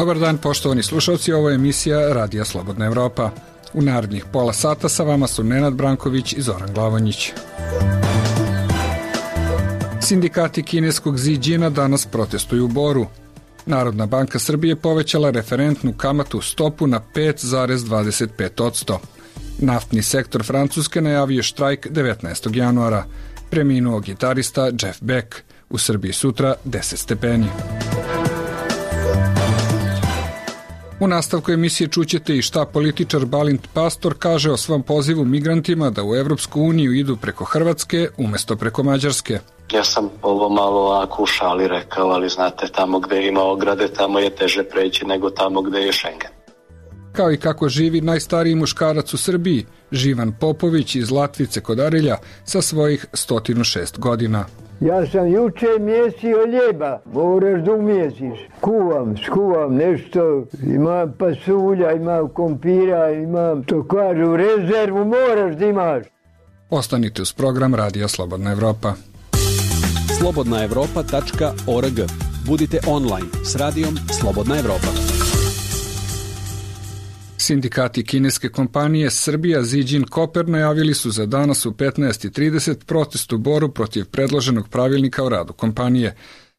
Dobar dan, poštovani slušalci, ovo je emisija Radija Slobodna Evropa. U narednih pola sata sa vama su Nenad Branković i Zoran Glavonjić. Sindikati kineskog Ziđina danas protestuju u Boru. Narodna banka Srbije povećala referentnu kamatnu stopu na 5,25%. Naftni sektor Francuske najavio štrajk 19. januara. Preminuo gitarista Jeff Beck. U Srbiji sutra 10 stepeni. U nastavku emisije čućete i šta političar Balint Pastor kaže o svom pozivu migrantima da u Evropsku uniju idu preko Hrvatske umjesto preko Mađarske. Ja sam ovo malo ovako u šali rekao, ali znate, tamo gde ima ograde, tamo je teže preći nego tamo gde je Schengen. Kao i kako živi najstariji muškarac u Srbiji, Živan Popović iz Latvice kod Arilja sa svojih 106 godina. Ja sam juče mjesio ljeba, moraš da umjesiš. Skuvam nešto, imam pasulja, imam kompira, imam to kažu rezervu, moraš da imaš. Ostanite uz program Radija Slobodna Evropa. slobodnaevropa.org. Budite online s radijom Slobodna Evropa. Sindikati kineske kompanije Srbija Ziđin Koper najavili su za danas u 15:30 protest u Boru protiv predloženog pravilnika o radu kompanije.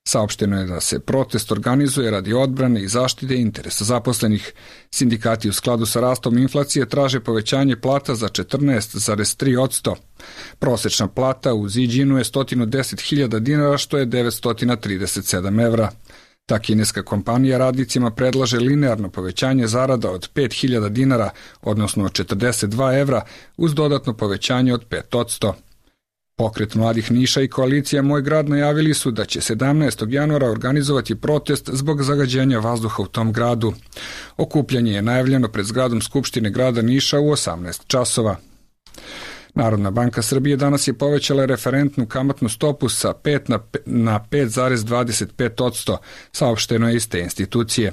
Saopšteno je da se protest organizuje radi odbrane i zaštite interesa zaposlenih. Sindikati u skladu sa rastom inflacije traže povećanje plata za 14,3%. Prosečna plata u Ziđinu je 110.000 dinara, što je 937 evra. Ta kineska kompanija radnicima predlaže linearno povećanje zarada od 5.000 dinara, odnosno 42 evra, uz dodatno povećanje od 5%. Pokret mladih Niša i koalicija Moj grad najavili su da će 17. januara organizovati protest zbog zagađenja vazduha u tom gradu. Okupljanje je najavljeno pred zgradom Skupštine grada Niša u 18 časova. Narodna banka Srbije danas je povećala referentnu kamatnu stopu sa 5 na 5,25%, saopšteno je iz te institucije.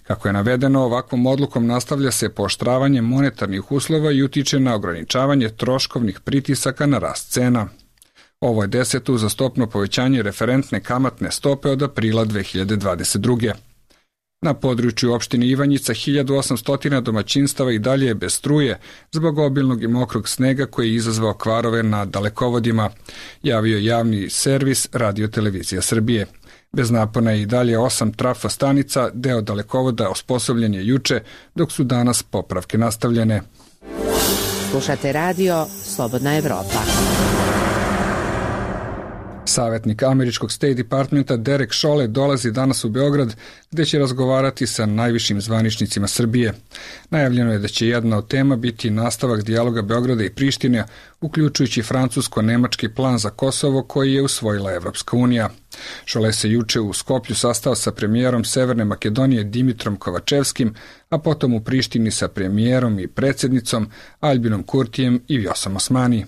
Kako je navedeno, ovakvom odlukom nastavlja se pooštravanje monetarnih uslova i utiče na ograničavanje troškovnih pritisaka na rast cena. Ovo je 10. uzastopno povećanje referentne kamatne stope od aprila 2022. Na području opštine Ivanjica 1800 domaćinstava i dalje je bez struje zbog obilnog i mokrog snega koji je izazvao kvarove na dalekovodima, javio javni servis Radio-televizija Srbije. Bez napona je i dalje 8 trafostanica, deo dalekovoda osposobljen je juče, dok su danas popravke nastavljene. Slušate radio Slobodna Evropa. Savjetnik američkog State Departmenta Derek Chollet dolazi danas u Beograd, gde će razgovarati sa najvišim zvaničnicima Srbije. Najavljeno je da će jedna od tema biti nastavak dijaloga Beograda i Prištine, uključujući francusko-nemački plan za Kosovo koji je usvojila Evropska unija. Chollet se juče u Skoplju sastao sa premijerom Severne Makedonije Dimitrom Kovačevskim, a potom u Prištini sa premijerom i predsjednicom Albinom Kurtijem i Vjosom Osmani.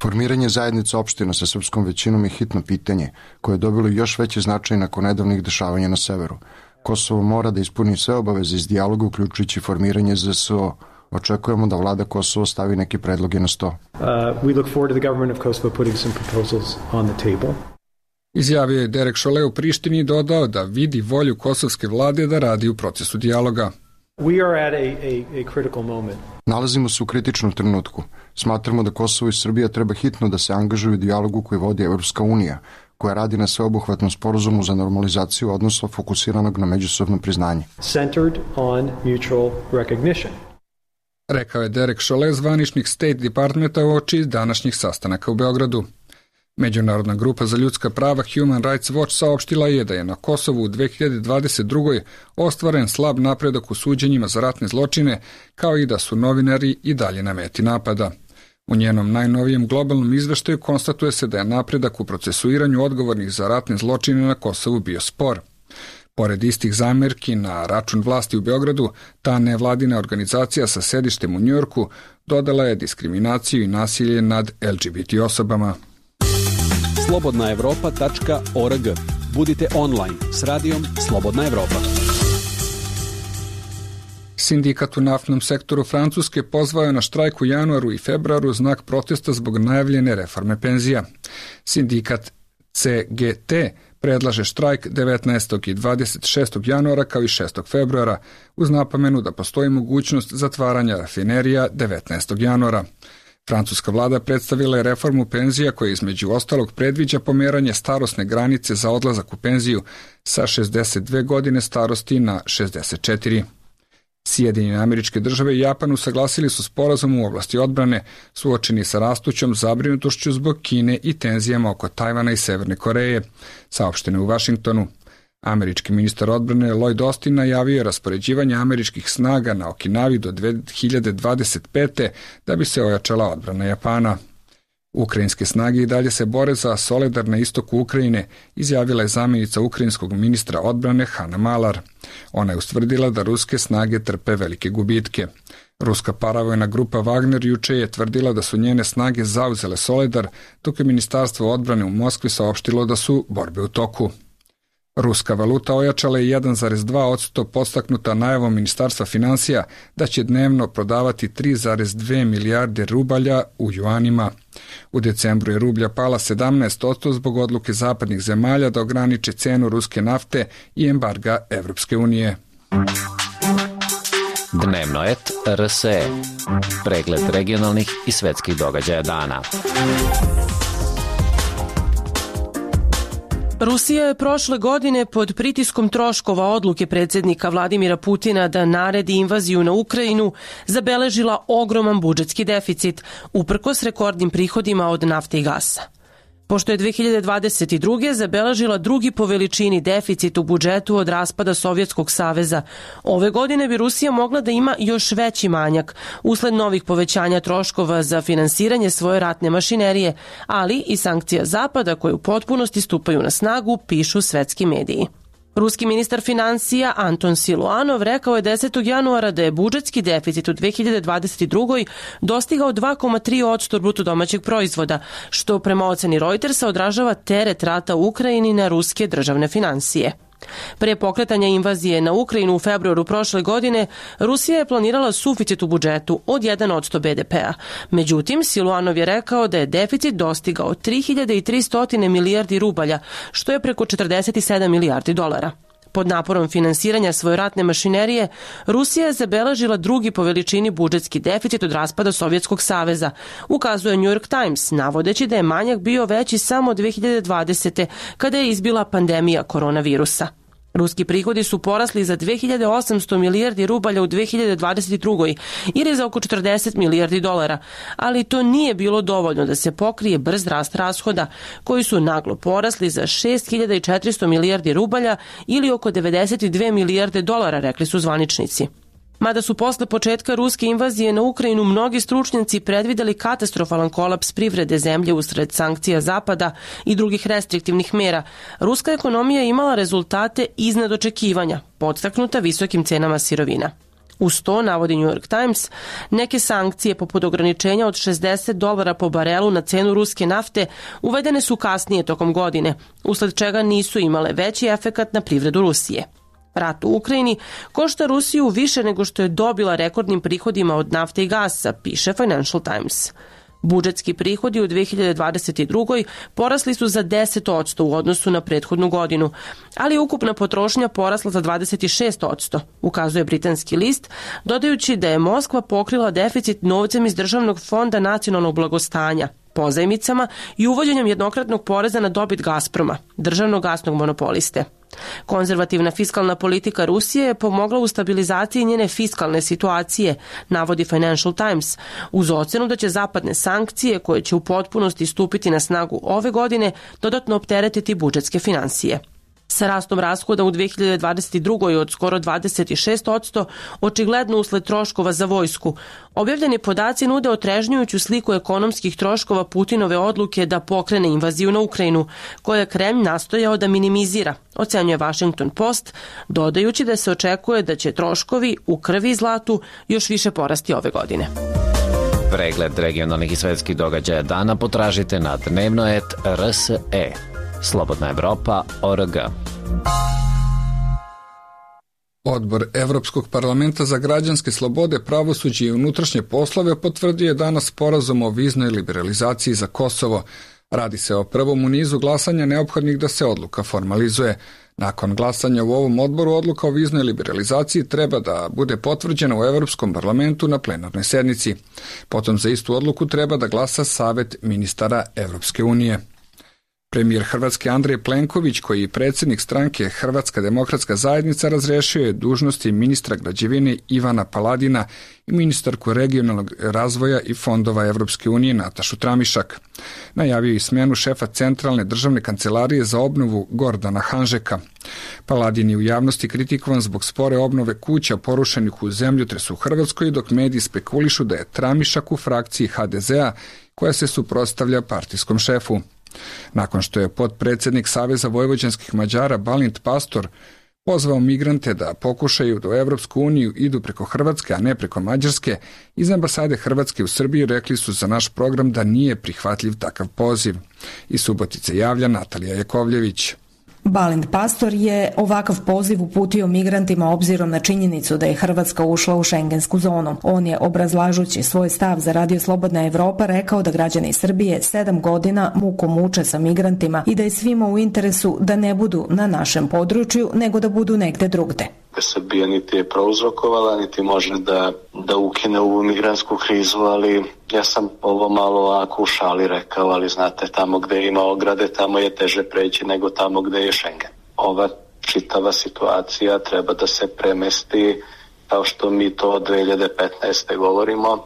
Formiranje zajednice opština sa srpskom većinom je hitno pitanje koje je dobilo još veći značaj nakon nedavnih dešavanja na severu. Kosovo mora da ispuni sve obaveze iz dijaloga, uključujući formiranje ZSO. Očekujemo da vlada Kosovo stavi neke predloge na sto. Izjavio je Derek Chollet u Prištini i dodao da vidi volju kosovske vlade da radi u procesu dijaloga. Nalazimo se u kritičnom trenutku. Smatramo da Kosovo i Srbija treba hitno da se angažuju u dijalogu koji vodi Evropska unija, koja radi na sveobuhvatnom sporazumu za normalizaciju odnosa fokusiranog na međusobno priznanje. Rekao je Derek Chollet, zvaničnik State Departmenta, uoči današnjih sastanaka u Beogradu. Međunarodna grupa za ljudska prava Human Rights Watch saopštila je da je na Kosovu u 2022. ostvaren slab napredak u suđenjima za ratne zločine, kao i da su novinari i dalje na meti napada. U njenom najnovijem globalnom izveštaju konstatuje se da je napredak u procesuiranju odgovornih za ratne zločine na Kosovu bio spor. Pored istih zamerki na račun vlasti u Beogradu, ta nevladina organizacija sa sedištem u Njujorku dodala je diskriminaciju i nasilje nad LGBT osobama. slobodnaevropa.org. Budite online s radijom Slobodna Evropa. Sindikat u naftnom sektoru Francuske pozvao je na štrajk u januaru i februaru znak protesta zbog najavljene reforme penzija. Sindikat CGT predlaže štrajk 19. i 26. januara kao i 6. februara, uz napomenu da postoji mogućnost zatvaranja rafinerija 19. januara. Francuska vlada predstavila je reformu penzija koja između ostalog predviđa pomeranje starosne granice za odlazak u penziju sa 62 godine starosti na 64. Sjedinjene Američke Države i Japan usaglasili su sporazum u oblasti odbrane, suočeni sa rastućom zabrinutošću zbog Kine i tenzijama oko Tajvana i Severne Koreje, saopšteno u Vašingtonu. Američki ministar odbrane Lloyd Austin najavio je raspoređivanje američkih snaga na Okinavi do 2025. da bi se ojačala odbrana Japana. Ukrajinske snage i dalje se bore za Soledar na istoku Ukrajine, izjavila je zamjenica ukrajinskog ministra odbrane Hanna Malar. Ona je ustvrdila da ruske snage trpe velike gubitke. Ruska paravojna grupa Wagner juče je tvrdila da su njene snage zauzele Soledar, dok je Ministarstvo odbrane u Moskvi saopštilo da su borbe u toku. Ruska valuta ojačala je 1,2% podstaknuta najavom Ministarstva financija da će dnevno prodavati 3,2 milijarde rubalja u juanima. U decembru je rublja pala 17% zbog odluke zapadnih zemalja da ograniče cenu ruske nafte i embarga Evropske unije. Dnevno et RSE. Pregled regionalnih i svetskih događaja dana. Rusija je prošle godine pod pritiskom troškova odluke predsjednika Vladimira Putina da naredi invaziju na Ukrajinu zabeležila ogroman budžetski deficit, uprkos rekordnim prihodima od nafte i gasa. Pošto je 2022. zabeležila drugi po veličini deficit u budžetu od raspada Sovjetskog saveza, ove godine bi Rusija mogla da ima još veći manjak usled novih povećanja troškova za finansiranje svoje ratne mašinerije, ali i sankcija Zapada koje u potpunosti stupaju na snagu, pišu svetski mediji. Ruski ministar financija Anton Siluanov rekao je 10. januara da je budžetski deficit u 2022. dostigao 2,3% bruto domaćeg proizvoda, što prema oceni Reutersa odražava teret rata u Ukrajini na ruske državne finansije. Pre pokretanja invazije na Ukrajinu u februaru prošle godine, Rusija je planirala suficit u budžetu od 1% BDP-a. Međutim, Siluanov je rekao da je deficit dostigao 3300 milijardi rubalja, što je preko 47 milijardi dolara. Pod naporom finansiranja svoje ratne mašinerije, Rusija je zabeležila drugi po veličini budžetski deficit od raspada Sovjetskog saveza, ukazuje New York Times, navodeći da je manjak bio veći samo 2020. kada je izbila pandemija koronavirusa. Ruski prihodi su porasli za 2800 milijardi rubalja u 2022. ili za oko 40 milijardi dolara, ali to nije bilo dovoljno da se pokrije brz rast rashoda, koji su naglo porasli za 6400 milijardi rubalja ili oko 92 milijarde dolara, rekli su zvaničnici. Mada su posle početka ruske invazije na Ukrajinu mnogi stručnjaci predvideli katastrofalan kolaps privrede zemlje usred sankcija Zapada i drugih restriktivnih mera, ruska ekonomija je imala rezultate iznad očekivanja, podstaknuta visokim cenama sirovina. Uz to, navodi New York Times, neke sankcije poput ograničenja od $60 po barelu na cenu ruske nafte uvedene su kasnije tokom godine, usled čega nisu imale veći efekat na privredu Rusije. Rat u Ukrajini košta Rusiju više nego što je dobila rekordnim prihodima od nafte i gasa, piše Financial Times. Budžetski prihodi u 2022. porasli su za 10% u odnosu na prethodnu godinu, ali ukupna potrošnja porasla za 26%, ukazuje britanski list, dodajući da je Moskva pokrila deficit novcem iz Državnog fonda nacionalnog blagostanja, pozajmicama i uvođenjem jednokratnog poreza na dobit Gazproma, državnog gasnog monopoliste. Konzervativna fiskalna politika Rusije je pomogla u stabilizaciji njene fiskalne situacije, navodi Financial Times, uz ocenu da će zapadne sankcije, koje će u potpunosti stupiti na snagu ove godine, dodatno opteretiti budžetske finansije. Sa rastom rashoda u 2022. od skoro 26%, očigledno usled troškova za vojsku, objavljeni podaci nude otrežnjujuću sliku ekonomskih troškova Putinove odluke da pokrene invaziju na Ukrajinu, koje je Kremlj nastojao da minimizira, ocenjuje Washington Post, dodajući da se očekuje da će troškovi u krvi i zlatu još više porasti ove godine. Pregled regionalnih i svetskih događaja dana potražite na dnevnoet.rse. Slobodna Evropa.org. Odbor Evropskog parlamenta za građanske slobode, pravosuđe i unutrašnje poslove potvrdio je danas sporazum o viznoj liberalizaciji za Kosovo, Radi se o prvom u nizu glasanja neophodnih da se odluka formalizuje. Nakon glasanja u ovom odboru, odluka o viznoj liberalizaciji treba da bude potvrđena u Evropskom parlamentu na plenarnoj sednici. Potom za istu odluku treba da glasa Savet ministara Evropske unije. Premijer Hrvatske Andrej Plenković, koji je predsjednik stranke Hrvatska demokratska zajednica, razrešio je dužnosti ministra građevine Ivana Paladina i ministarku regionalnog razvoja i fondova Evropske unije Natašu Tramišak. Najavio i smjenu šefa Centralne državne kancelarije za obnovu Gordana Hanžeka. Paladin je u javnosti kritikovan zbog spore obnove kuća porušenih u zemljotresu u Hrvatskoj, dok mediji spekulišu da je Tramišak u frakciji HDZ-a koja se suprotstavlja partijskom šefu. Nakon što je potpredsjednik Saveza vojvođanskih Mađara Balint Pastor pozvao migrante da pokušaju da u Evropsku uniju idu preko Hrvatske, a ne preko Mađarske, iz ambasade Hrvatske u Srbiji rekli su za naš program da nije prihvatljiv takav poziv. Iz Subotice javlja Natalija Jakovljević. Balint Pastor je ovakav poziv uputio migrantima obzirom na činjenicu da je Hrvatska ušla u šengensku zonu. On je, obrazlažući svoj stav za Radio Slobodna Evropa, rekao da građani Srbije 7 godina mukom muče sa migrantima i da je svima u interesu da ne budu na našem području, nego da budu negde drugde. Srbija niti je prouzrokovala, niti može da ukine ovu migrantsku krizu, ali ja sam ovo malo ovako u šali rekao, ali znate, tamo gde ima ograde, tamo je teže preći nego tamo gde je Schengen. Ova čitava situacija treba da se premesti, kao što mi to od 2015. govorimo,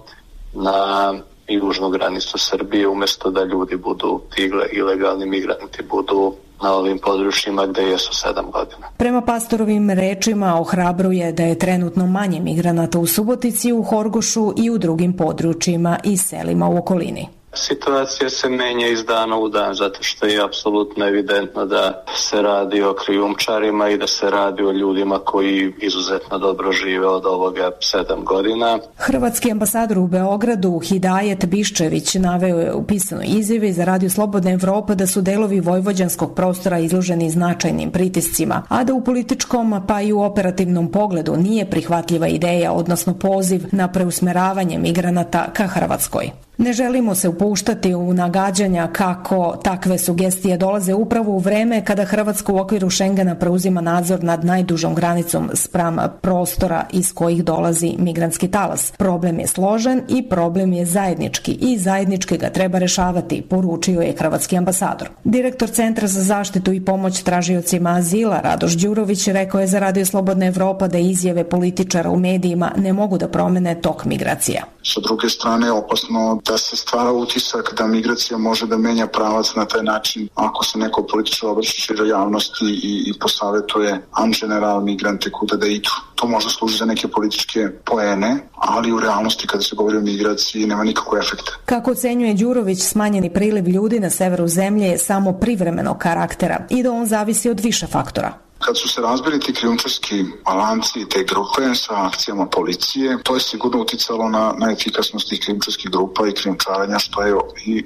na južnu granicu Srbije, umjesto da ljudi budu, ti ilegalni migranti budu na ovim područjima gde jesu 7 godina. Prema Pastorovim rečima ohrabruje da je trenutno manje migranata u Subotici, u Horgošu i u drugim područjima i selima u okolini. Situacija se menja iz dana u dan, zato što je apsolutno evidentno da se radi o krijumčarima i da se radi o ljudima koji izuzetno dobro žive od ovoga 7 godina. Hrvatski ambasador u Beogradu Hidajet Biščević naveo je u pisanoj izjavi za Radio Slobodna Evropa da su delovi vojvođanskog prostora izloženi značajnim pritiscima, a da u političkom pa i u operativnom pogledu nije prihvatljiva ideja, odnosno poziv na preusmeravanje migranata ka Hrvatskoj. Ne želimo se upuštati u nagađanja kako takve sugestije dolaze upravo u vreme kada Hrvatska u okviru Schengena preuzima nadzor nad najdužom granicom spram prostora iz kojih dolazi migrantski talas. Problem je složen i problem je zajednički i zajednički ga treba rešavati, poručio je hrvatski ambasador. Direktor Centra za zaštitu i pomoć tražiocima azila Radoš Đurović rekao je za Radio Slobodna Evropa da izjave političara u medijima ne mogu da promene tok migracija. Sa druge strane je opasno da se stvara utisak da migracija može da menja pravac na taj način ako se neko političar obraća široj javnosti i posavetuje an general migrante kuda da idu. To možda služi za neke političke poene, ali u realnosti kada se govori o migraciji nema nikakvog efekta. Kako ocenjuje Đurović, smanjeni priliv ljudi na severu zemlje je samo privremenog karaktera i da on zavisi od više faktora. Kad su se razbili ti krijumčarski lanci i te grupe sa akcijama policije, to je sigurno uticalo na efikasnost tih krijumčarskih grupa i krijumčarenja, što je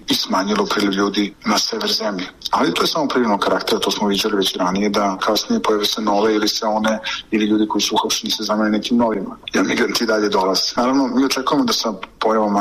i smanjilo priliv ljudi na sever zemlje. Ali to je samo privremenog karaktera, to smo viđali već ranije, da kasnije pojave se nove ili se one, ili ljudi koji su uhapšeni se zamene nekim novima. Jer migranti dalje dolaze. Naravno, mi očekujemo da sa pojavom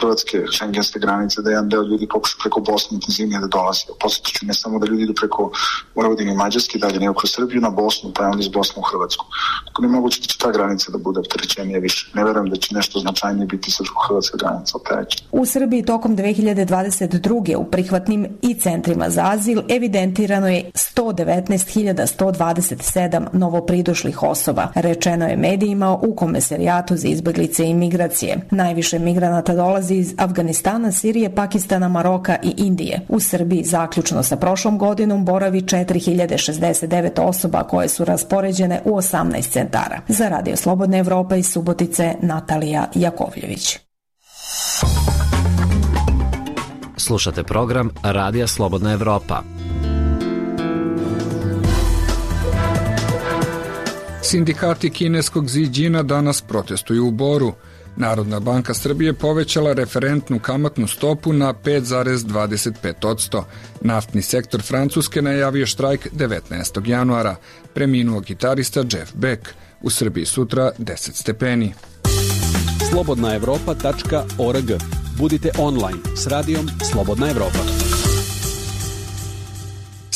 Hrvatske šengenske granice, da jedan deo ljudi pokuša preko Bosne intenzivnije da dolazi. Podsjetiću, ne samo da ljudi idu preko Vojvodine i Mađarske, dalje nego kroz Srbiju na Bosnu, pa je onda iz Bosne u Hrvatsku. Tako ne moguće da će ta granica da bude opterećenije više. Ne verujem da će nešto značajnije biti srpsko-hrvatska granica opterećenja. U Srbiji tokom 2022. u prihvatnim i centrima za azil evidentirano je 119.127 novopridošlih osoba, rečeno je medijima u Komesarijatu za izbeglice i migracije. Najviše migranata dolazi iz Afganistana, Sirije, Pakistana, Maroka i Indije. U Srbiji zaključno sa prošlom godinom boravi 4.069 osoba koje su raspoređene u 18 centara. Za Radio Slobodna Evropa iz Subotice, Natalija Jakovljević. Slušate program Radija Slobodna Evropa. Sindikati kineskog Ziđina danas protestuju u Boru. Narodna banka Srbije povećala referentnu kamatnu stopu na 5,25%. Naftni sektor Francuske najavio štrajk 19. januara. Preminuo gitarista Jeff Beck. U Srbiji sutra 10 stepeni. Slobodnaevropa.org. Budite online s radijom Slobodna Evropa.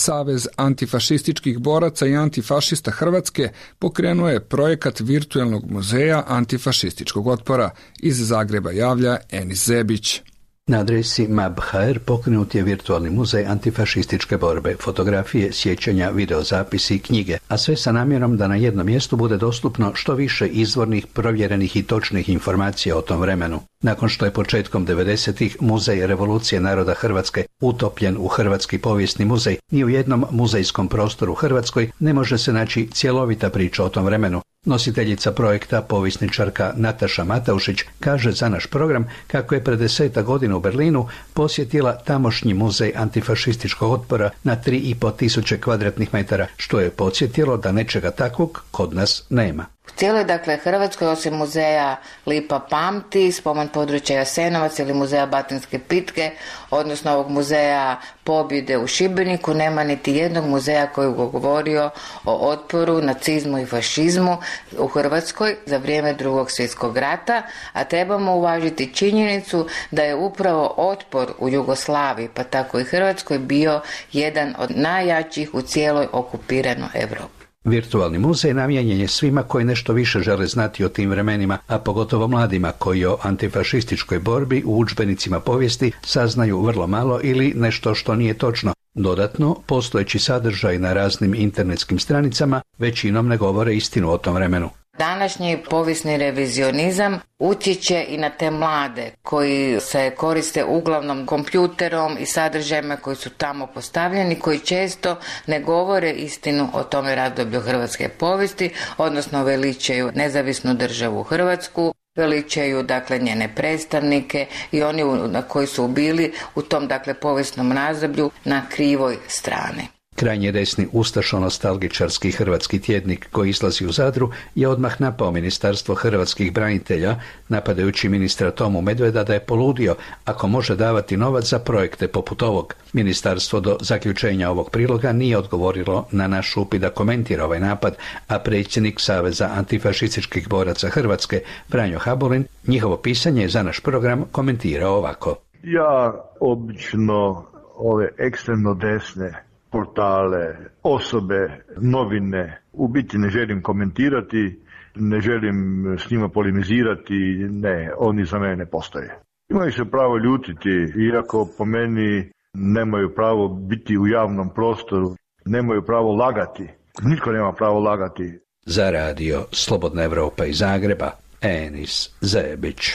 Savez antifašističkih boraca i antifašista Hrvatske pokrenuo je projekat virtuelnog muzeja antifašističkog otpora. Iz Zagreba javlja Enis Zebić. Na adresi MAB.hr pokrenut je virtualni muzej antifašističke borbe, fotografije, sjećanja, videozapisi i knjige, a sve sa namjerom da na jednom mjestu bude dostupno što više izvornih, provjerenih i točnih informacija o tom vremenu. Nakon što je početkom 90-ih Muzej Revolucije naroda Hrvatske utopljen u Hrvatski povijesni muzej, ni u jednom muzejskom prostoru u Hrvatskoj ne može se naći cjelovita priča o tom vremenu. Nositeljica projekta, povjesničarka Nataša Mataušić, kaže za naš program kako je pred 10 godina u Berlinu posjetila tamošnji muzej antifašističkog otpora na 3.500 kvadratnih metara, što je podsjetilo da nečega takvog kod nas nema. U cijeloj, Hrvatskoj, osim muzeja Lipa pamti, spomen područja Jasenovac ili muzeja Batinske pitke, odnosno ovog muzeja pobjede u Šibeniku, nema niti jednog muzeja koji je govorio o otporu, nacizmu i fašizmu u Hrvatskoj za vrijeme Drugog svjetskog rata, a trebamo uvažiti činjenicu da je upravo otpor u Jugoslaviji, pa tako i Hrvatskoj, bio jedan od najjačih u cijeloj okupiranoj Europi. Virtualni muzej namijenjen je svima koji nešto više žele znati o tim vremenima, a pogotovo mladima koji o antifašističkoj borbi u udžbenicima povijesti saznaju vrlo malo ili nešto što nije točno. Dodatno, postojeći sadržaj na raznim internetskim stranicama većinom ne govore istinu o tom vremenu. Današnji povijesni revizionizam utječe i na te mlade koji se koriste uglavnom kompjuterom i sadržajima koji su tamo postavljeni, koji često ne govore istinu o tome razdoblju hrvatske povijesti, odnosno veličaju nezavisnu državu Hrvatsku, veličaju njene predstavnike i oni koji su bili u tom povijesnom razdoblju na krivoj strani. Krajnje desni ustašo-nostalgičarski hrvatski tjednik koji izlazi u Zadru je odmah napao Ministarstvo hrvatskih branitelja, napadajući ministra Tomu Medveda da je poludio ako može davati novac za projekte poput ovog. Ministarstvo do zaključenja ovog priloga nije odgovorilo na naš upit da komentira ovaj napad, a predsjednik Saveza antifašističkih boraca Hrvatske, Franjo Habulin, njihovo pisanje je za naš program komentirao ovako. Ja obično ove ekstremno desne portale, osobe, novine, u biti ne želim komentirati, ne želim s njima polemizirati, ne, oni za mene ne postoje. Imaju se pravo ljutiti, iako po meni nemaju pravo biti u javnom prostoru, nemaju pravo lagati, nitko nema pravo lagati. Za radio Slobodna Evropa iz Zagreba, Enis Zebić.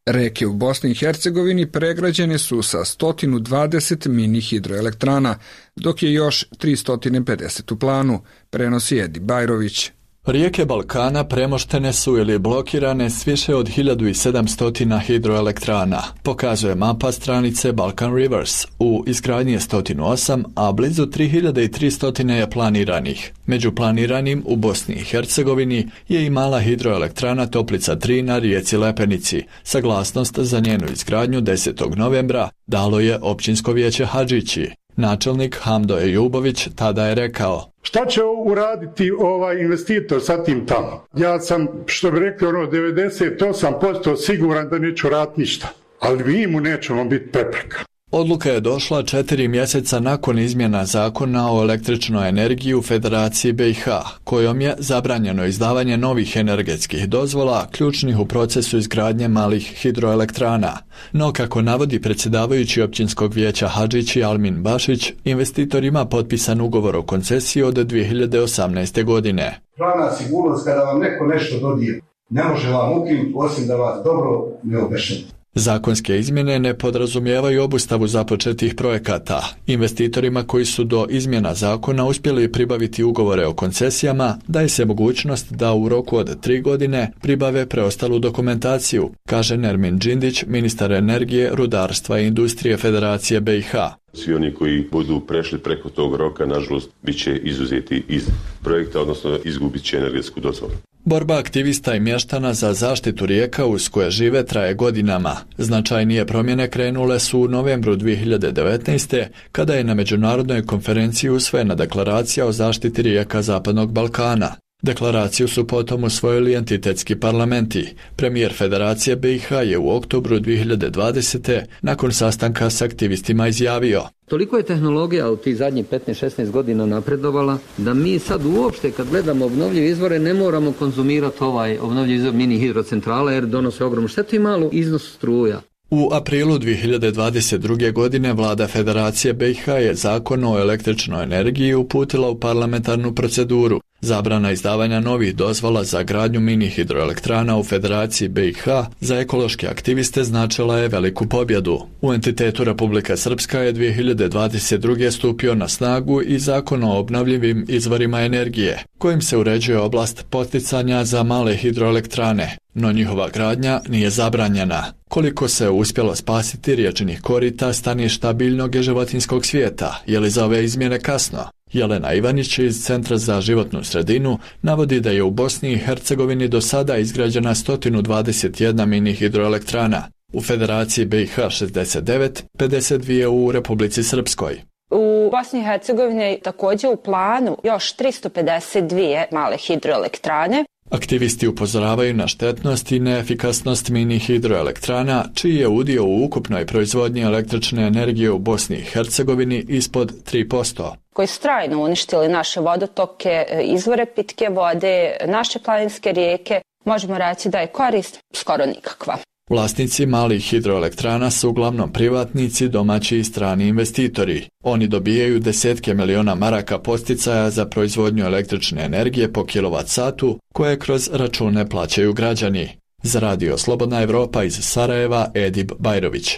Reke u Bosni i Hercegovini pregrađene su sa 120 mini hidroelektrana, dok je još 350 u planu, prenosi Edi Bajrović. Rijeke Balkana premoštene su ili blokirane s više od 1700 hidroelektrana, pokazuje mapa stranice Balkan Rivers. U izgradnji je 108, a blizu 3300 je planiranih. Među planiranim u Bosni i Hercegovini je i mala hidroelektrana Toplica 3 na rijeci Lepenici. Saglasnost za njenu izgradnju 10. novembra dalo je općinsko vijeće Hadžići. Načelnik Hamdo Ejubović tada je rekao: šta će uraditi ovaj investitor sa tim tamo? Ja sam, što bi rekli, 98% siguran da neću raditi ništa, ali mi mu nećemo biti prepreka. Odluka je došla 4 mjeseca nakon izmjena zakona o električnoj energiji u Federaciji BiH, kojom je zabranjeno izdavanje novih energetskih dozvola, ključnih u procesu izgradnje malih hidroelektrana. No, kako navodi predsjedavajući općinskog vijeća Hadžići Almin Bašić, investitor ima potpisan ugovor o koncesiji od 2018. godine. Pravna sigurnost kada vam neko nešto dodijeli, ne može vam ukinuti osim da vas dobro ne obešeni. Zakonske izmjene ne podrazumijevaju obustavu započetih projekata. Investitorima koji su do izmjena zakona uspjeli pribaviti ugovore o koncesijama daje se mogućnost da u roku od 3 godine pribave preostalu dokumentaciju, kaže Nermin Džindić, ministar energije, rudarstva i industrije Federacije BiH. Svi oni koji budu prešli preko tog roka, nažalost, bit će izuzeti iz projekta, odnosno izgubit će energetsku dozvolu. Borba aktivista i mještana za zaštitu rijeka uz koje žive traje godinama. Značajnije promjene krenule su u novembru 2019. kada je na međunarodnoj konferenciji usvojena deklaracija o zaštiti rijeka Zapadnog Balkana. Deklaraciju su potom usvojili entitetski parlamenti. Premijer Federacije BiH je u oktobru 2020. nakon sastanka s aktivistima izjavio: Toliko je tehnologija u tih zadnjih 15-16 godina napredovala da mi sad uopšte kad gledamo obnovljive izvore ne moramo konzumirati ovaj obnovljivi izvor mini hidrocentrala jer donose ogromnu štetu i malu iznos struja. U aprilu 2022. godine vlada Federacije BiH je zakon o električnoj energiji uputila u parlamentarnu proceduru. Zabrana izdavanja novih dozvola za gradnju mini hidroelektrana u Federaciji BiH za ekološke aktiviste značila je veliku pobjedu. U entitetu Republika Srpska je 2022. stupio na snagu i zakon o obnovljivim izvorima energije, kojim se uređuje oblast poticanja za male hidroelektrane, no njihova gradnja nije zabranjena. Koliko se uspjelo spasiti riječnih korita, staništa biljnog i životinjskog svijeta, je li za ove izmjene kasno? Jelena Ivanić iz Centra za životnu sredinu navodi da je u Bosni i Hercegovini do sada izgrađena 121 mini hidroelektrana, u Federaciji BiH 69, 52 u Republici Srpskoj. U Bosni i Hercegovini je također u planu još 352 male hidroelektrane. Aktivisti upozoravaju na štetnost i neefikasnost mini hidroelektrana, čiji je udio u ukupnoj proizvodnji električne energije u Bosni i Hercegovini ispod 3%. Koji su trajno uništili naše vodotoke, izvore pitke vode, naše planinske rijeke, možemo reći da je korist skoro nikakva. Vlasnici malih hidroelektrana su uglavnom privatnici, domaći i strani investitori. Oni dobijaju desetke miliona maraka podsticaja za proizvodnju električne energije po kilovat-satu, koje kroz račune plaćaju građani. Za Radio Slobodna Evropa iz Sarajeva, Edip Bajrović.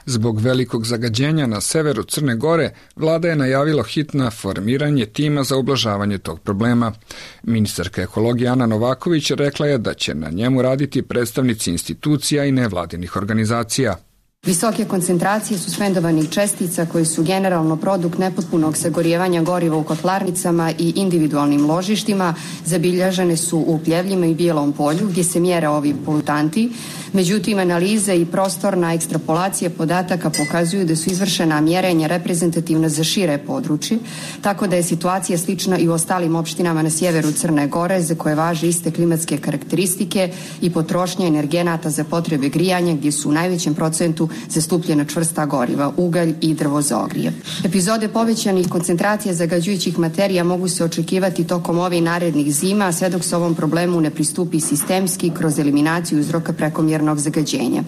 Zbog velikog zagađenja na severu Crne Gore, vlada je najavila hitno formiranje tima za ublažavanje tog problema. Ministarka ekologije Ana Novaković rekla je da će na njemu raditi predstavnici institucija i nevladinih organizacija. Visoke koncentracije suspendovanih čestica koji su generalno produkt nepotpunog sagorijevanja goriva u kotlarnicama i individualnim ložištima zabilježene su u Pljevljima i Bijelom polju gdje se mjere ovi polutanti. Međutim, analize i prostorna ekstrapolacija podataka pokazuju da su izvršena mjerenja reprezentativna za šire područje, tako da je situacija slična i u ostalim opštinama na sjeveru Crne Gore za koje važe iste klimatske karakteristike i potrošnja energenata za potrebe grijanja gdje su u najvećem procentu zastupljena čvrsta goriva, ugalj i drvo za ogrijev. Epizode povećanih koncentracija zagađujućih materija mogu se očekivati tokom ovih narednih zima, sve dok se ovom problemu ne pristupi sistemski kroz eliminaciju uzroka prekomjernog zagađenja.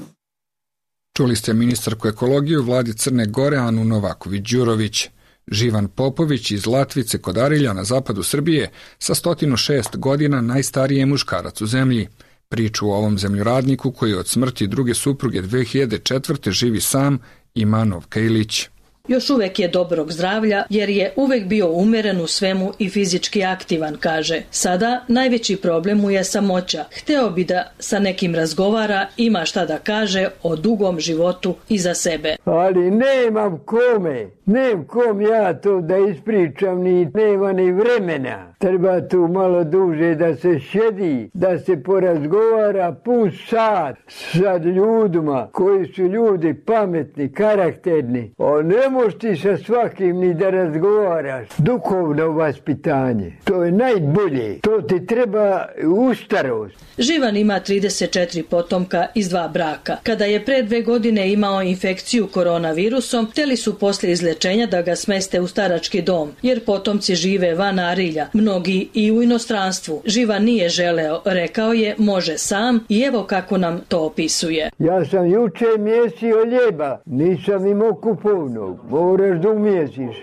Čuli ste ministarku ekologije u vladi Crne Gore Anu Novaković-Đurović. Živan Popović iz Latvice kod Arilja na zapadu Srbije sa 106 godina najstariji je muškarac u zemlji. Priču o ovom zemljoradniku koji od smrti druge supruge 2004. živi sam ima Novka Ilić. Još uvek je dobrog zdravlja jer je uvek bio umeren u svemu i fizički aktivan, kaže. Sada najveći problem mu je samoća. Hteo bi da sa nekim razgovara, ima šta da kaže o dugom životu iza sebe. Ali nemam kome, nemam kom ja to da ispričam, ni nema ni vremena. Treba tu malo duže da se sjedi, da se porazgovara pun sat sa ljudima koji su ljudi pametni, karakterni. Ne možeš ti sa svakim ni da razgovaraš. Duhovno vaspitanje, to je najbolje. To ti treba u starost. Živan ima 34 potomka iz 2 braka. Kada je pre 2 godine imao infekciju koronavirusom, hteli su posle izlečenja da ga smeste u starački dom, jer potomci žive van Arilja, mnogi i u inostranstvu. Živan nije želeo, rekao je može sam i evo kako nam to opisuje. Ja sam juče mjesio ljeba, nisam imao kupovnog. Moraš da umjesiš.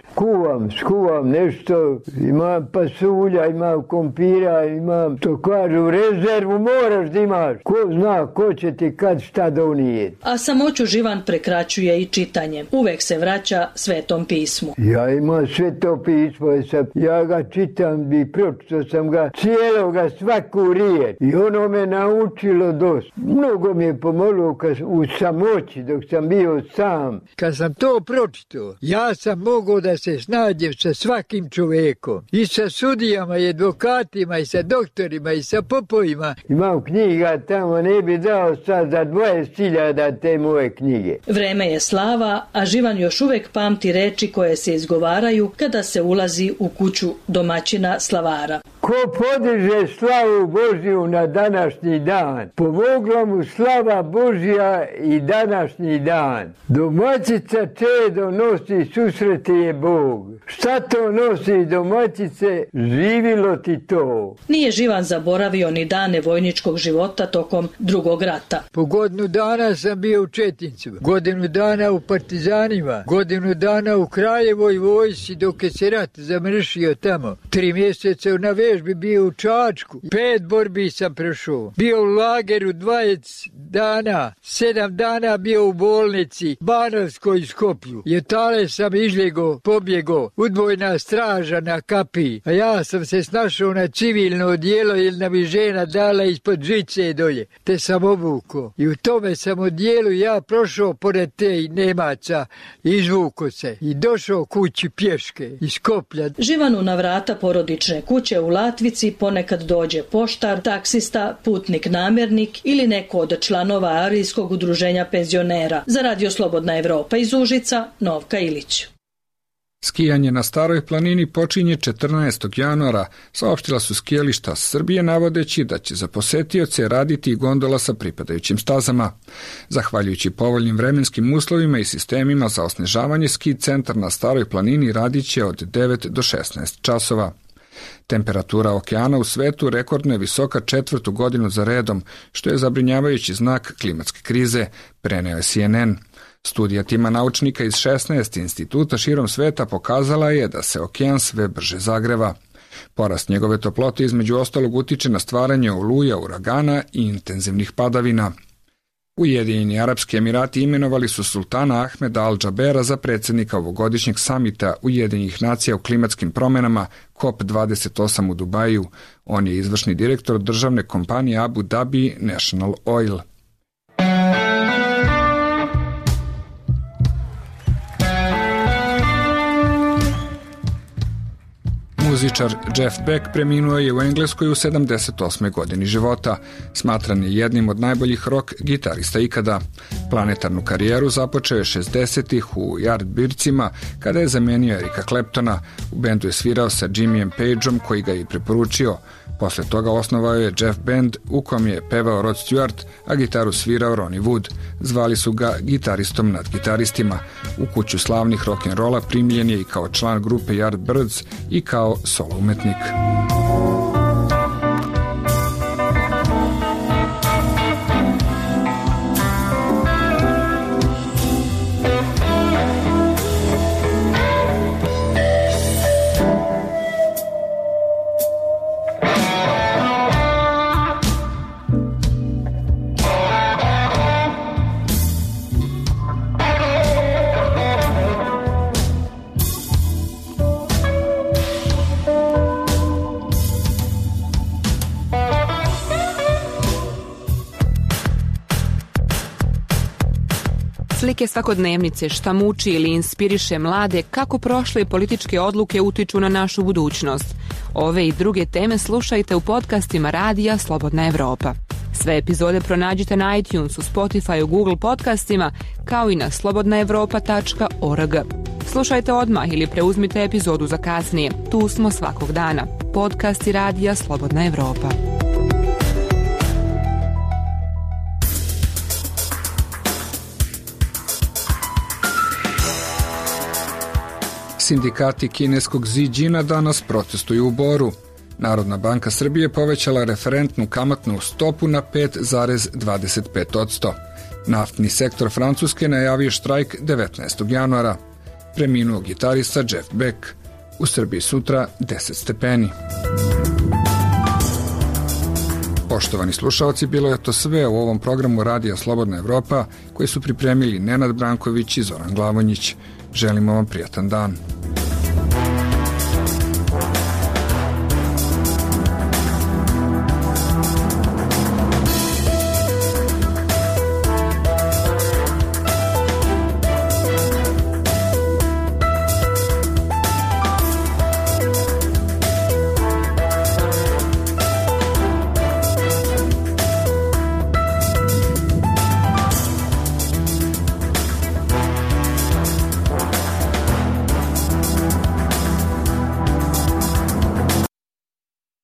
Skuvam nešto, imam pasulja, imam kompira, imam, to kažu, rezervu moraš da imaš. Ko zna, ko će ti kad šta donijeti. A samoću Živan prekraćuje i čitanje. Uvek se vraća Svetom pismu. Ja imam Sveto pismo, ja ga čitam i pročito sam ga cijeloga svaku riječ. I ono me naučilo dosta. Mnogo mi je pomoglo u samoći dok sam bio sam. Kad sam to pročito, ja sam mogao da se snađem sa svakim čovekom. I sa sudijama, i advokatima, i sa doktorima, i sa popovima. Imam knjiga tamo, ne bi dao sad za 20.000 te moje knjige. Vreme je slava, a Živan još uvek pamti niti reči koje se izgovaraju kada se ulazi u kuću domaćina slavara. Ko podiže slavu Božju na današnji dan, pomogla mu slava Božja i današnji dan. Domaćica čedo nosi, susreti je Bog. Šta to nosi domaćice, živilo ti to. Nije Živan zaboravio ni dane vojničkog života tokom Drugog rata. Po godinu dana sam bio u Četincu, godinu dana u partizanima, godinu dana u Kraljevoj vojsci dok je se rat zamršio tamo. 3 mjeseca na vežbi bio u Čačku, 5 borbi sam prešao. Bio u lageru 20 dana, 7 dana bio u bolnici, Banovskoj Skoplju. Jetale sam izljego, pobjego, udvojna straža na kapiji, a ja sam se snašao na civilno odijelo jer nam je žena dala ispod žice dolje, te sam obuko. I u tome sam odijelu ja prošao pored te Nemaca, izvuko se i došao kući pješke iz Skoplja. Živanu na vrata porodične kuće u Latvici ponekad dođe poštar, taksista, putnik namjernik ili neko od članova Arijskog udruženja penzionera. Za Radio Slobodna Evropa iz Užica, Novka Ilić. Skijanje na Staroj planini počinje 14. januara, saopštila su skijališta Srbije navodeći da će za posetioce raditi i gondola sa pripadajućim stazama. Zahvaljujući povoljnim vremenskim uslovima i sistemima za osnežavanje, ski centar na Staroj planini radit će od 9 do 16 časova. Temperatura okeana u svetu rekordno je visoka 4. godinu za redom, što je zabrinjavajući znak klimatske krize, preneo je CNN. Studija tima naučnika iz 16 instituta širom sveta pokazala je da se okean sve brže zagreva. Porast njegove toplote između ostalog utiče na stvaranje oluja, uragana i intenzivnih padavina. Ujedinjeni Arapski Emirati imenovali su sultana Ahmeda Al-Džabera za predsjednika ovogodišnjeg samita Ujedinjenih nacija o klimatskim promjenama COP28 u Dubaju. On je izvršni direktor državne kompanije Abu Dhabi National Oil. Muzičar Jeff Beck preminuo je u Engleskoj u 78. godini života. Smatran je jednim od najboljih rock gitarista ikada. Planetarnu karijeru započeo je 60-ih u Yardbirdsima, kada je zamenio Erika Claptona. U bendu je svirao sa Jimmyjem Pageom, koji ga je preporučio. Posle toga osnovao je Jeff Band, u kom je pevao Rod Stewart, a gitaru svirao Ronnie Wood. Zvali su ga gitaristom nad gitaristima. U kuću slavnih rock'n'rolla primljen je i kao član grupe Yardbirds i kao solo umetnik. Slike svakodnevnice, šta muči ili inspiriše mlade, kako prošle političke odluke utiču na našu budućnost. Ove i druge teme slušajte u podcastima Radija Slobodna Evropa. Sve epizode pronađite na iTunesu, Spotify, Google podcastima, kao i na slobodnaevropa.org. Slušajte odmah ili preuzmite epizodu za kasnije. Tu smo svakog dana. Podcasti Radija Slobodna Evropa. Sindikati kineskog Ziđina danas protestuju u Boru. Narodna banka Srbije povećala referentnu kamatnu stopu na 5,25%. Naftni sektor Francuske najavio štrajk 19. januara. Preminuo gitarista Jeff Beck. U Srbiji sutra 10 stepeni. Poštovani slušalci, bilo je to sve u ovom programu Radija Slobodna Evropa, koji su pripremili Nenad Branković i Zoran Glavonjić. Želimo vam prijatan dan.